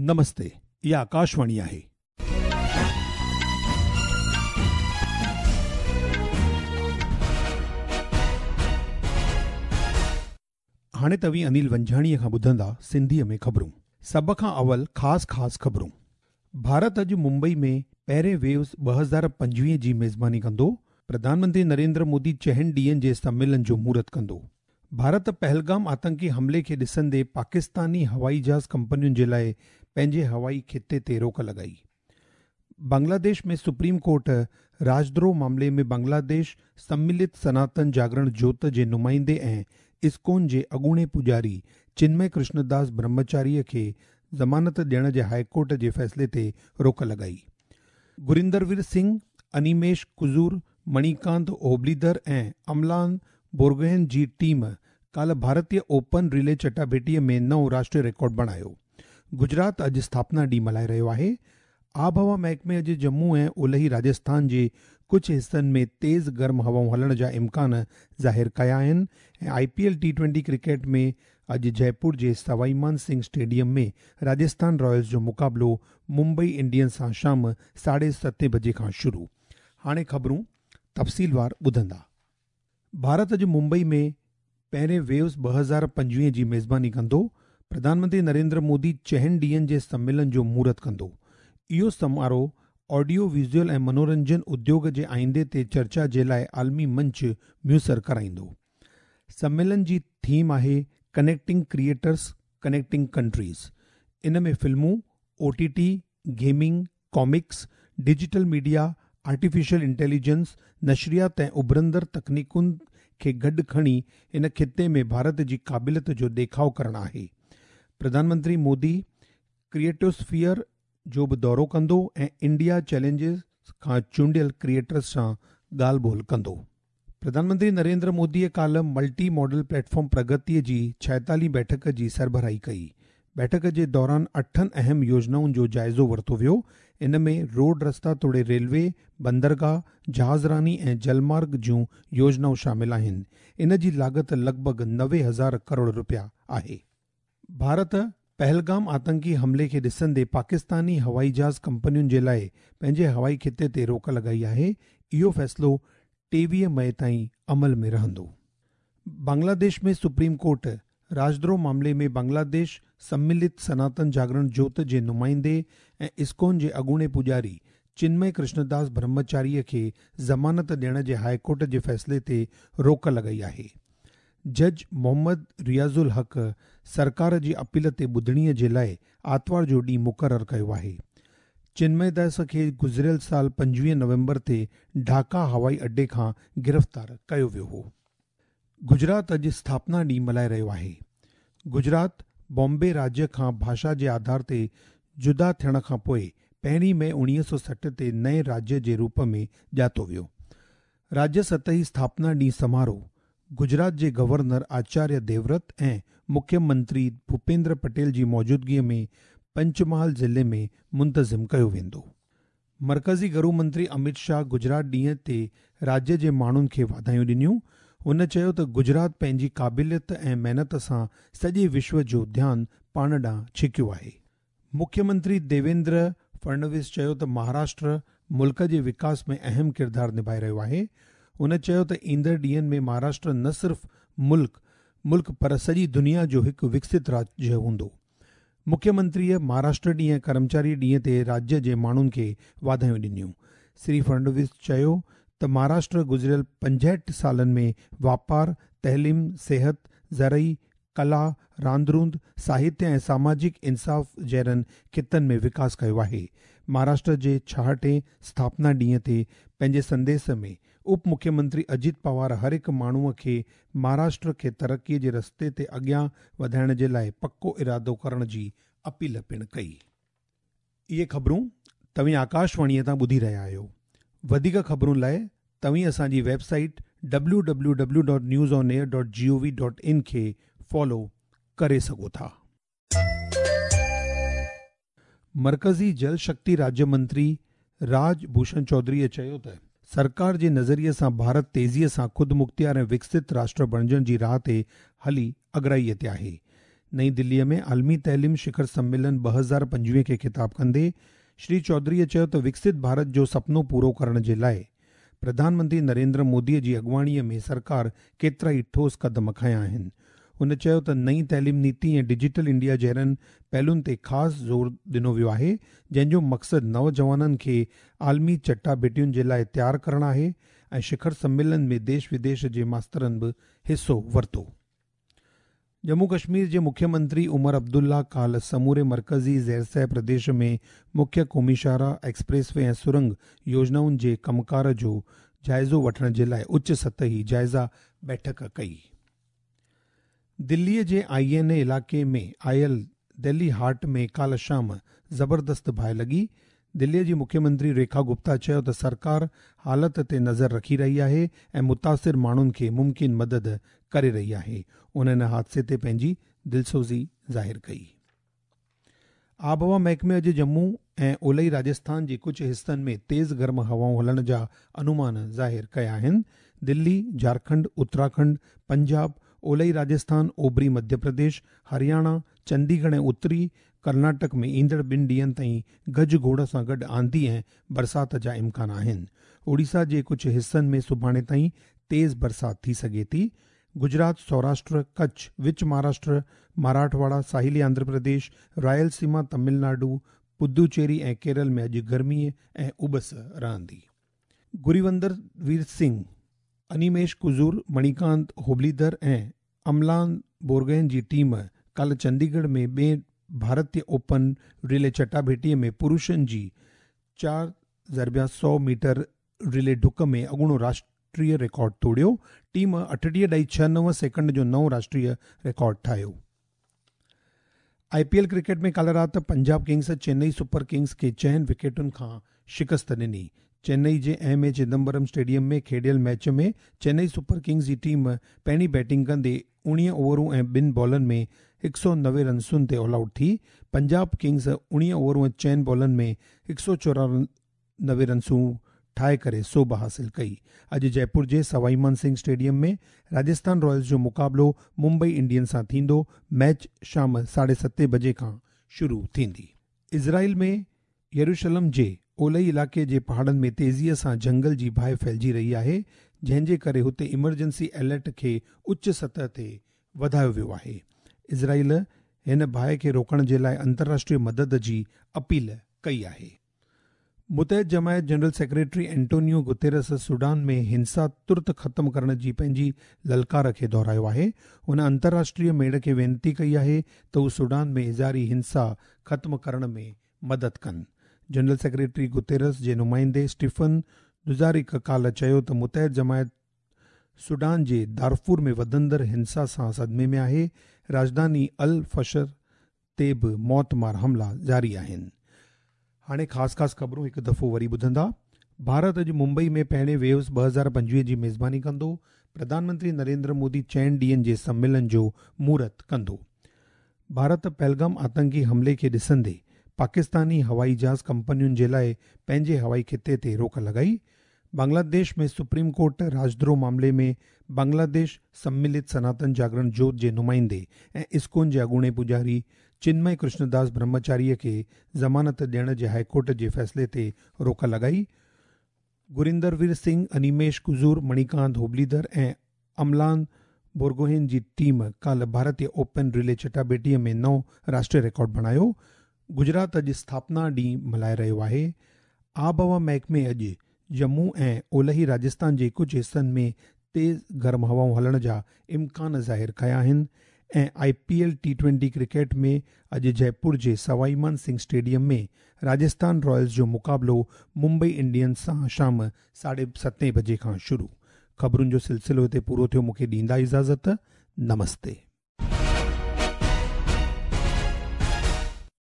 نمستي، اها آڪاشواڻي آهي. هاڻي توهين انيل ونجهاڻيء کان ٻڌندا سنڌيء ۾ خبرون. سڀ کان اول خاص خاص خبرون. ڀارت اڄ ممبئي ۾ پهرين ويوز 2025 جي ميزباني ڪندو. پرڌان منتري نريندر مودي چئن ڏينهن جي سميلن جو مهورت ڪندو. ڀارت پهلگام آتنڪي حملي کي ڏسندي پاڪستاني هوائي جهاز ڪمپنين جي لاء پنهنجي هوائي خطي تي روڪ لڳائي. بنگلاديش ۾ سپريم ڪورٽ راجدروهه معاملي ۾ بنگلاديش سملت سناتن جاگرڻ جوت جي نمائندي ۽ اسڪون جي اڳوڻي پوڄاري چنمئي ڪرشنداس برهمچاري کي ضمانت ڏيڻ جي هاء ڪورٽ جي فيصلي تي روڪ لڳائي. گريندروير سنگهه، انيميش ڪجور، مڻيڪانت هوبليڌر ۽ املان بورگوهين جي ٽيم ڪالهه ڀارتي اوپن ريلي چٽاڀيٽي ۾ نئون راشٽريه رڪارڊ بڻايو. گجرات اڄ اسٿاپنا ڏينهن ملهائي رهيو آهي. آبهوا محڪمي اڄ ڄمون ۽ اولهي راجسٿان جي ڪجهه حصن ۾ تيز گرم هوائون هلڻ جا امڪان ظاهر ڪيا آهن ۽ I P L T twenty cricket ۾ اڄ جئپور جي سوائي مان سنگهه اسٽيڊيم ۾ راجسٿان رائلز جو مقابلو ممبئي انڊينز سان شام ساڍي ستين بجي کان شروع. هاڻي خبرون تفصيلوار ٻڌندا. ڀارت اڄ ممبئي ۾ پهرين ويوز 2025 جي ميزباني ڪندو. پرڌان منتري نريندر مودي چئن ڏينهن جي سميلن جو مهورت ڪندو. اهو سماروهه آڊيو ويزوئل ۽ منورنجن اديوگ جي آئيندي تي چرچا جي لاء عالمي منچ ميسر ڪرائيندو. سميلن جي ٿيم آهي ڪنيڪٽنگ ڪريئيٽرز، ڪنيڪٽنگ ڪنٽريز. ان ۾ فلمون، O T T, gaming, comics, digital media, artificial intelligence, نشريات ۽ اڀرندڙ تڪنيڪن کي گڏ کڻي ان خطي ۾ ڀارت جي قابليت جو ڏيکاء ڪرڻ آهي. پرڌان منتري مودي ڪريئيٽوسفيئر جو به دورو ڪندو ۽ انڊيا چئلينجز کان چونڊيل ڪريئيٽرز سان ڳالهه ٻولهه ڪندو. پرڌان منتري نريندر موديء ڪالهه ملٽي ماڊل پليٽ فارم پرگتي جي ڇائيتاليهين بيٺڪ جي سربراهي ڪئي. بيٺڪ جي دوران اٺن اهم يوجنائن جو جائزو ورتو ويو. ان ۾ روڊ رستا توڙي ريلوي، بندرگاهه، جهاز راني ۽ جل مارگ جون يوجنائون شامل آهن. ان جي لاڳت لڳ ڀڳ 90 هزار ڪروڙ رپيا آهي. ڀارت پهلگام آتنڪي حملي کي ڏسندي پاڪستاني هوائي جهاز ڪمپنين جي لاء پنهنجي هوائي خطي تي روڪ لڳائي آهي. اهو فيصلو 23 مئي تائين عمل ۾ رهندو. بنگلاديش ۾ سپريم ڪورٽ راجدروهه معاملي ۾ بنگلاديش سملت سناتن جاگرڻ جوت جي نمائندي ۽ اسڪون جي اڳوڻي پوڄاري چنمئي ڪرشنداس برهمچاري کي ضمانت ڏيڻ جي هاء ڪورٽ جي فيصلي تي روڪ لڳائي آهي. جج محمد رياض الحق سرڪار جي اپيل تي ٻڌڻي جي لاء آتوار جو ڏينهن مقرر ڪيو آهي. چنمئي داس کي گذريل سال 25 نومبر تي ڍاڪا هوائي اڏي کان گرفتار ڪيو ويو هو. گجرات اڄ اسٿاپنا ڏينهن ملهائي رهيو آهي. گجرات بامبي راجيه کان ڀاشا جي آڌار تي جدا ٿيڻ کان پوء پهرين مئي 1960 تي نئين راجيه جي روپ ۾ ڄاتو ويو. راجيه سطحي اسٿاپنا ڏينهن سماروهه گجرات جي گورنر آچاريه ديورت ۽ مکيه منتري ڀوپيندر پٽيل جي موجودگيء ۾ پنچمهال ضلعي ۾ منتظم ڪيو ويندو. مرڪزي گهرو منتري امت شاهه گجرات ڏينهن تي راجيه جي ماڻهن کي واڌايون ڏنيون. هن چيو ته گجرات پنهنجي قابليت ۽ محنت سان سڄي وشو جو ڌيان پاڻ ڏانهن ڇڪيو آهي. مکيه منتري ديويندر فڙنويس چيو ته مهاراشٽر ملڪ جي وڪاس ۾ اهم ڪردار نڀائي رهيو آهي. هن چيو ته ايندڙ ڏينهن ۾ مهاراشٽر نه صرف ملڪ ملڪ پر سڄي دنيا جو هڪ وڪست راجيه هوندو. مکيه منتريء مهاراشٽر ڏينهن ۽ ڪرمچاري ڏينهن تي راجيه جي ماڻهن کي واڌايون ڏنيون. شري فڙنويس چيو ته مهاراشٽر گذريل 65 سالن ۾ واپار، تعليم، صحت، زرعي، ڪلا، راند روند، ساهتيه ۽ ساماجڪ انصاف جهڙن خطن ۾ وڪاس ڪيو آهي. مهاراشٽر جي ڇاهٺين اسٿاپنا ڏينهن تي پنهنجي سنديس ۾ اپ مکيه منتري اجيت پوار هر هڪ ماڻهوء کي مهاراشٽر کي ترقي جي رستي تي اڳيان وڌائڻ جي لاء پڪو ارادو ڪرڻ جي اپيل پڻ ڪئي. اهي خبرون توهين آڪاشواڻيء تان ٻڌي رهيا آهيو. وڌيڪ خبرن لاء توهين اسان جي web site W W W dot news on air dot G O V dot in کي فالو ڪري سگهو ٿا. مرڪزي جل شڪتي راجيه منتري راج ڀوشڻ چوڌريء چيو ته سرڪار جي نظريي سان ڀارت تيزيء سان خودمختيار ۽ وڪست راشٽر بڻجڻ جي راهه تي هلي اڳرائيء تي آهي. نئين دليء ۾ عالمي تعليم شکر سميلن 2025 کي خطاب ڪندي شري چوڌريء چيو ته وڪست ڀارت جو سپنو پورو ڪرڻ جي لاءِ پرڌان منتري نريندر موديء جي اڳواڻيء ۾ سرڪار ڪيترائي ٺوس قدم کنيا آهن. هن چيو ته نئين تعليم نيتي ۽ ڊجيٽل انڊيا جهڙن پهلوئن تي خاص زور ڏنو ويو آهي، جنهن جو مقصد نوجوانن کي عالمي چٽاڀيٽين جي لاءِ تيار ڪرڻ آهي ۽ شکر سميلن ۾ ديش وديش جي ماسترن به حصو ورتو. ڄمون ڪشمير جي مکيه منتري عمر عبدالله ڪالهه سموري مرڪزي زيرسيٰ پرديش ۾ مکيه قومي شاهراهه، ايڪسپريس وي ۽ سرنگ يوجنائن جي ڪم ڪار جو جائزو وٺڻ جي لاءِ اچ سطحي جائزه بيٺڪ ڪئي. دليء جي آئي اين اي علائقي ۾ آيل دهلي هاٽ ۾ ڪالهه شام زبردست باهه لڳي. دليء جي مکيه منتري ريکا گپتا چيو ته سرڪار حالت تي نظر رکي رهي آهي ۽ متاثر ماڻهن کي ممڪن مدد ڪري رهي آهي. هن ان حادثي تي پنهنجي دلسوزي ظاهر ڪئي. آبهوا محڪمي اڄ ڄمون ۽ اولهي راجسٿان جي ڪجهه حصن ۾ تيز گرم هوائون هلڻ جا انومان ظاهر ڪيا آهن. دلي، جهارکنڊ، اتراکنڊ، پنجاب، اولهي راجسٿان، اوڀري مڌيه پرديش، هرياڻا، چنديڳڙهه ۽ اتري ڪرناٽڪ ۾ ايندڙ ٻن ڏينهن تائين گجگوڙ سان گڏ آنڌي ۽ برسات جا امڪان آهن. اوڙيسا جي ڪجهه حصن ۾ سڀاڻي تائين تيز برسات ٿي سگهي ٿي. گجرات، سوراشٽر، ڪڇ، وچ مهاراشٽر، مراٺواڙا، ساحلي آنڌرا پرديش، رائل سيما، تامل ناڊو، پدوچيري ۽ ڪيرل ۾ اڄ گرمي ۽ اٻس رهندي. گريوندر وير سنگهه، انيميش ڪجور، مڻيڪانت هوبليڌر ۽ املان بورگهين جي ٽيم ڪالهه چنديڳڙهه ۾ ٻئين ڀارتيه اوپن ريلي چٽاڀيٽيء ۾ پرشن جي 4x100 metre relay ڊڪ ۾ اڳوڻو راشٽريه رڪارڊ ٽوڙيو. ٽيم 38.69 سيڪنڊ جو نئون راشٽريه رڪارڊ ٺاهيو. آء پي ايل ڪرڪيٽ ۾ ڪالهه رات Punjab kings Chennai super kings کي چئن وڪيٽن کان شڪست ڏني. چينئي جي ايم اي چدمبرم اسٽيڊيم ۾ کيڏيل ميچ ۾ چينئي سپر ڪنگز جي ٽيم پهرين بيٽنگ ڪندي 19 اوورون ۽ ٻن بالن ۾ 190 رنسن تي آل آئوٽ ٿي. پنجاب ڪنگز 19 اوورون ۽ چئن بالن ۾ 194 رنسون ٺاهي ڪري سوڀ حاصل ڪئي. اڄ جئپور جي سوائي مان سنگهه اسٽيڊيم ۾ راجسٿان رائلز جو مقابلو ممبئي انڊينز سان ٿيندو. ميچ شام 7:30 بجي کان شروع ٿيندي. اسرائيل ۾ يروشلم جي اولهي علائقي جي پهاڙن ۾ تيزيء سان جهنگل جي باهه ڦهلجي رهي آهي، جنهن جي ڪري هتي ايمرجنسي الرٽ کي اچ سطح تي وڌايو ويو آهي. اسرائيل هن باهه کي روڪڻ جي لاءِ انترراشٽريه مدد جي اپيل ڪئي آهي. متحد جماعت general secretary Antonio Guterres Sudan ۾ هنسا ترت ختم ڪرڻ جي پنهنجي للڪار کي دهرايو آهي. هن انترراشٽريه ميڙ کي وينتي ڪئي آهي ته هو سوڊان ۾ جاري هنسا ختم ڪرڻ ۾ مدد ڪن. جنرل سيڪريٽري گتيرس جي نمائندي اسٽيفن دوجارڪ ڪالهه چيو ته متحد جماعت سوڊان جي دارفور ۾ وڌندڙ هنسا سان صدمي ۾ آهي. راڄڌاني الفشر تي به موتمار حملا جاري آهن. هاڻي خاص خاص خبرون هڪ دفعو وري ٻڌندا. ڀارت اڄ ممبئي ۾ پهرين ويوز 2025 جي ميزباني ڪندو. پرڌان منتري نريندر مودي چئن ڏينهن جي سميلن جو مهورت ڪندو. ڀارت پهلگام آتنڪي حملي کي ڏسندي پاڪستاني هوائي جهاز ڪمپنين جي لاءِ پنهنجي هوائي خطي تي روڪ لڳائي. بنگلاديش ۾ سپريم ڪورٽ راجدروهه معاملي ۾ بنگلاديش سملت سناتن جاگرڻ جوت جي نمائندي ۽ اسڪون جي اڳوڻي پوڄاري چنمئي ڪرشنداس برهمچاري کي ضمانت ڏيڻ جي هائيڪورٽ جي فيصلي تي روڪ لڳائي. گريندروير سنگهه، انيميش ڪجور، مڻيڪانت هوبليڌر ۽ املان بورگوهين جي ٽيم ڪالهه ڀارتيه اوپن ريلي چٽاڀيٽيء ۾ نئون راشٽريه رڪارڊ بڻايو. گجرات اڄ اسٿاپنا ڏينهن ملهائي رهيو آهي. آبهوا محڪمي اڄ ڄمون ۽ اولهي راجسٿان جي ڪجهه حصن ۾ تيز گرم هوائون هلڻ جا امڪان ظاهر ڪيا آهن ۽ I P L T twenty cricket ۾ اڄ جئپور جي سوائي مان سنگهه اسٽيڊيم ۾ راجسٿان رائلز جو مقابلو ممبئي انڊينز سان شام 7:30 بجي کان شروع. خبرن جو سلسلو هتي پورو ٿيو مون کي ڏيندا اجازت نمستي.